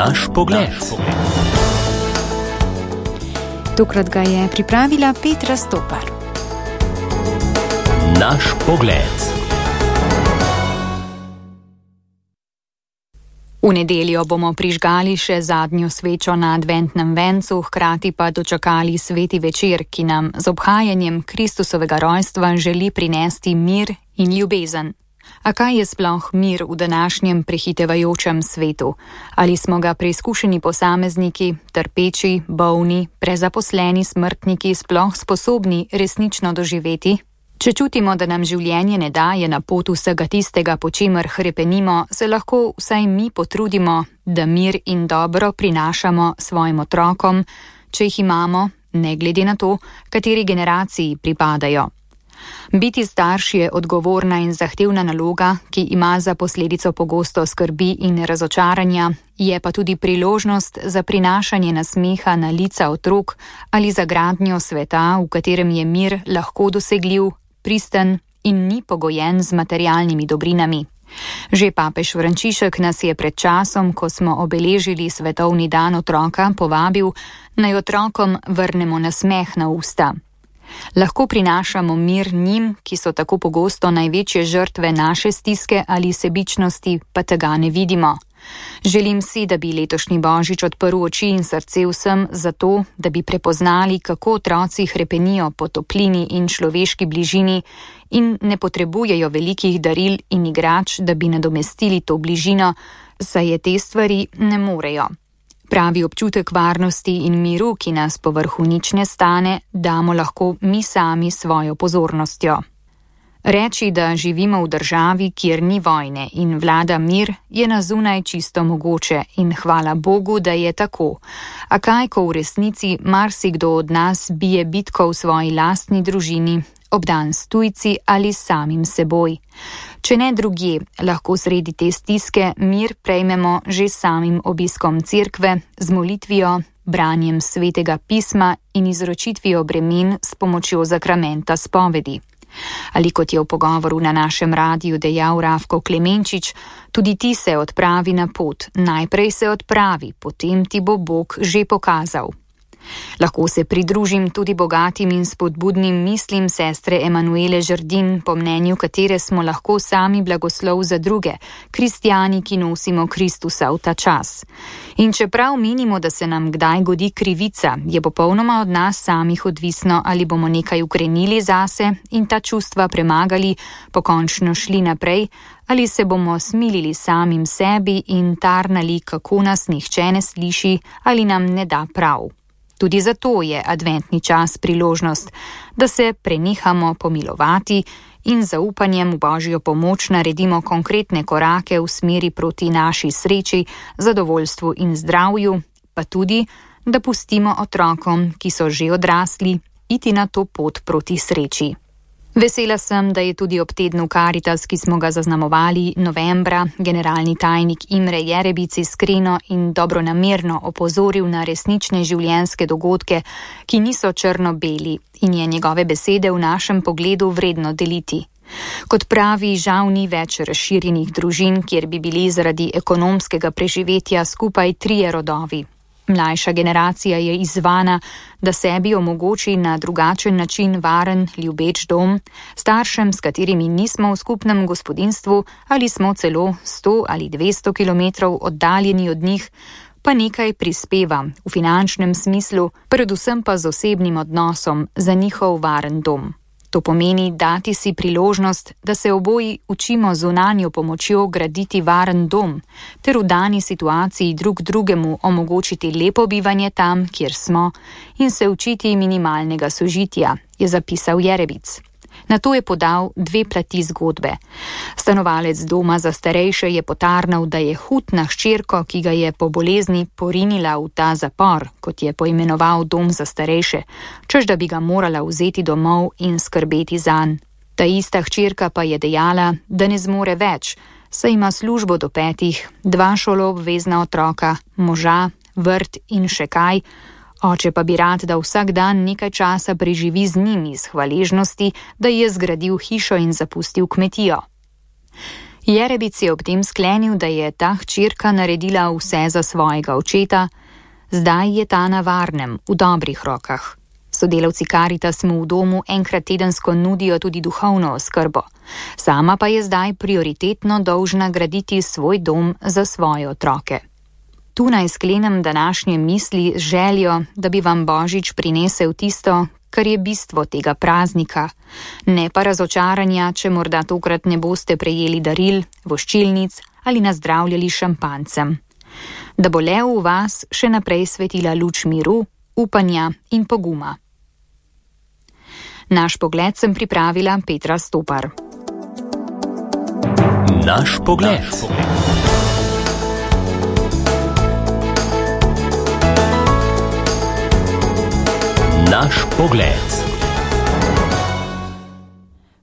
Naš pogled. Tokrat ga je pripravila Petra Stopar. Naš pogled. V nedeljo bomo prižgali še zadnjo svečo na adventnem vencu, hkrati pa dočakali sveti večer, ki nam z obhajanjem Kristusovega rojstva želi prinesti mir in ljubezen. A kaj je sploh mir v današnjem prehitevajočem svetu? Ali smo ga preizkušeni posamezniki, trpeči, bolni, prezaposleni smrtniki sploh sposobni resnično doživeti? Če čutimo, da nam življenje ne daje na pot vsega tistega, po čemer hrepenimo, se lahko vsaj mi potrudimo, da mir in dobro prinašamo svojim otrokom, če jih imamo, ne glede na to, kateri generaciji pripadajo. Biti starš je odgovorna in zahtevna naloga, ki ima za posledico pogosto skrbi in razočaranja, je pa tudi priložnost za prinašanje nasmeha na lica otrok ali za gradnjo sveta, v katerem je mir lahko dosegljiv, pristen in ni pogojen z materialnimi dobrinami. Že papež Frančišek nas je pred časom, ko smo obeležili svetovni dan otroka, povabil, naj otrokom vrnemo nasmeh na usta. Lahko prinašamo mir njim, ki so tako pogosto največje žrtve naše stiske ali sebičnosti, pa tega ne vidimo. Želim si, da bi letošnji Božič odprl oči in srce vsem zato, da bi prepoznali, kako otroci hrepenijo po toplini in človeški bližini in ne potrebujejo velikih daril in igrač, da bi nadomestili to bližino, saj je te stvari ne morejo. Pravi občutek varnosti in miru, ki nas povrhu nič ne stane, damo lahko mi sami svojo pozornostjo. Reči, da živimo v državi, kjer ni vojne in vlada mir, je na zunaj čisto mogoče in hvala Bogu, da je tako. A kaj, ko v resnici marsikdo od nas bije bitko v svoji lastni družini, obdan s tujci ali samim seboj. Če ne drugje, lahko sredi te stiske mir prejmemo že samim obiskom cerkve, z molitvijo, branjem svetega pisma in izročitvijo bremen s pomočjo zakramenta spovedi. Ali kot je v pogovoru na našem radiju dejal Rafko Klemenčič, tudi ti se odpravi na pot, najprej se odpravi, potem ti bo Bog že pokazal. Lahko se pridružim tudi bogatim in spodbudnim mislim sestre Emanuele Žerdin, po mnenju katere smo lahko sami blagoslov za druge, kristjani, ki nosimo Kristusa v ta čas. In čeprav menimo, da se nam kdaj godi krivica, je popolnoma od nas samih odvisno, ali bomo nekaj ukrenili zase in ta čustva premagali, pokončno šli naprej, ali se bomo smilili samim sebi in tarnali, kako nas nihče ne sliši ali nam ne da prav. Tudi zato je adventni čas priložnost, da se prenehamo pomilovati in zaupanjem v Božjo pomoč naredimo konkretne korake v smeri proti naši sreči, zadovoljstvu in zdravju, pa tudi, da pustimo otrokom, ki so že odrasli, iti na to pot proti sreči. Vesela sem, da je tudi ob tednu Karitas, ki smo ga zaznamovali novembra, generalni tajnik Imre Jerebic iskreno in dobronamerno opozoril na resnične življenjske dogodke, ki niso črno-beli in je njegove besede v našem pogledu vredno deliti. Kot pravi, žal ni več razširjenih družin, kjer bi bili zaradi ekonomskega preživetja skupaj 3 rodovi. Mlajša generacija je izzvana, da sebi omogoči na drugačen način varen, ljubeč dom, staršem, s katerimi nismo v skupnem gospodinjstvu ali smo celo 100 ali 200 kilometrov oddaljeni od njih, pa nekaj prispeva v finančnem smislu, predvsem pa z osebnim odnosom za njihov varen dom. To pomeni dati si priložnost, da se oboji učimo zunanjo pomočjo graditi varen dom, ter v dani situaciji drug drugemu omogočiti lepo bivanje tam, kjer smo, in se učiti minimalnega sožitja, je zapisal Jerebic. Nato je podal 2 plati zgodbe. Stanovalec doma za starejše je potarnal, da je hud na hčerko, ki ga je po bolezni porinila v ta zapor, kot je poimenoval dom za starejše, češ da bi ga morala vzeti domov in skrbeti zanj. Ta ista hčerka pa je dejala, da ne zmore več, saj ima službo do 5, 2 šoloobvezna otroka, moža, vrt in še kaj, oče pa bi rad, da vsak dan nekaj časa preživi z njimi iz hvaležnosti, da je zgradil hišo in zapustil kmetijo. Jerebic je ob tem sklenil, da je ta hčerka naredila vse za svojega očeta, zdaj je ta na varnem, v dobrih rokah. Sodelavci Karitas mu v domu enkrat tedensko nudijo tudi duhovno oskrbo. Sama pa je zdaj prioritetno dolžna graditi svoj dom za svoje otroke. Tu naj sklenem današnje misli z željo, da bi vam Božič prinesel tisto, kar je bistvo tega praznika, ne pa razočaranja, če morda tokrat ne boste prejeli daril, voščilnic ali nazdravljali šampancem. Da bo le v vas še naprej svetila luč miru, upanja in poguma. Naš pogled sem pripravila Petra Stopar. Naš pogled. Naš pogled.